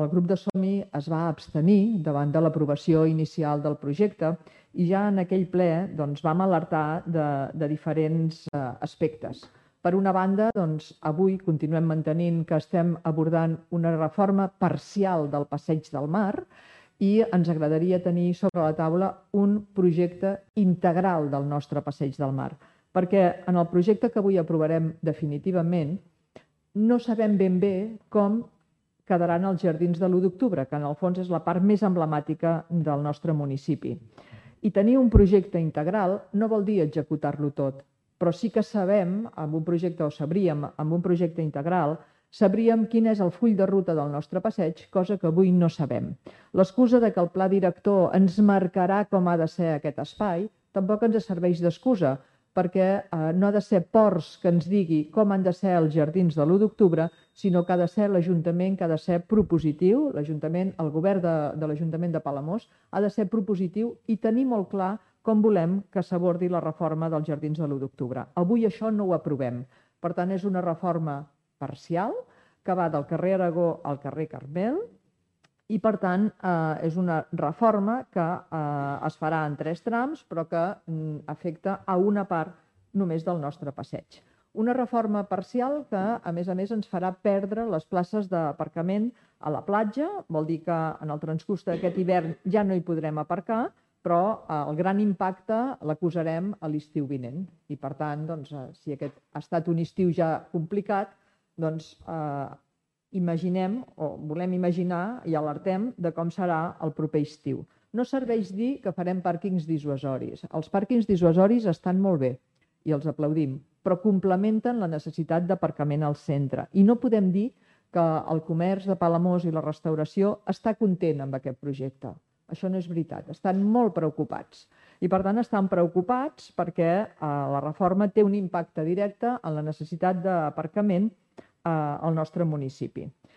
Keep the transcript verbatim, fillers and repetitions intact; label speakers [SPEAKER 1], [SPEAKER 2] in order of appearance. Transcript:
[SPEAKER 1] el grup de Som-hi es va abstenir davant de l'aprovació inicial del projecte i ja en aquell ple doncs, vam alertar de, de diferents eh, aspectes. Per una banda, doncs, avui continuem mantenint que estem abordant una reforma parcial del Passeig del Mar i ens agradaria tenir sobre la taula un projecte integral del nostre Passeig del Mar, perquè en el projecte que avui aprovarem definitivament no sabem ben bé com quedaran els jardins de l'u d'octubre, que en el fons és la part més emblemàtica del nostre municipi. I tenir un projecte integral no vol dir executar-lo tot, però sí que sabem, amb un projecte, o sabríem, amb un projecte integral, sabríem quin és el full de ruta del nostre passeig, cosa que avui no sabem. L'excusa de que el pla director ens marcarà com ha de ser aquest espai tampoc ens serveix d'excusa, perquè eh, no ha de ser Ports que ens digui com han de ser els jardins de l'u d'octubre, sinó que ha de ser l'Ajuntament que ha de ser propositiu, l'Ajuntament, el govern de, de l'Ajuntament de Palamós ha de ser propositiu i tenir molt clar com volem que s'abordi la reforma dels jardins de l'u d'octubre. Avui això no ho aprovem. Per tant, és una reforma parcial que va del carrer Aragó al carrer Carmel i, per tant, eh, és una reforma que eh, es farà en tres trams, però que mm, afecta a una part només del nostre passeig. Una reforma parcial que, a més a més, ens farà perdre les places d'aparcament a la platja, vol dir que en el transcurs d'aquest hivern ja no hi podrem aparcar, però eh, el gran impacte l'acusarem a l'estiu vinent. I, per tant, doncs, eh, si aquest ha estat un estiu ja complicat, doncs eh, imaginem, o volem imaginar i alertem de com serà el proper estiu. No serveix dir que farem pàrquings dissuasoris. Els pàrquings dissuasoris estan molt bé i els aplaudim, però complementen la necessitat d'aparcament al centre. I no podem dir que el comerç de Palamós i la restauració està content amb aquest projecte. Això no és veritat. Estan molt preocupats. I, per tant, estan preocupats perquè eh, la reforma té un impacte directe en la necessitat d'aparcament al nostre municipi.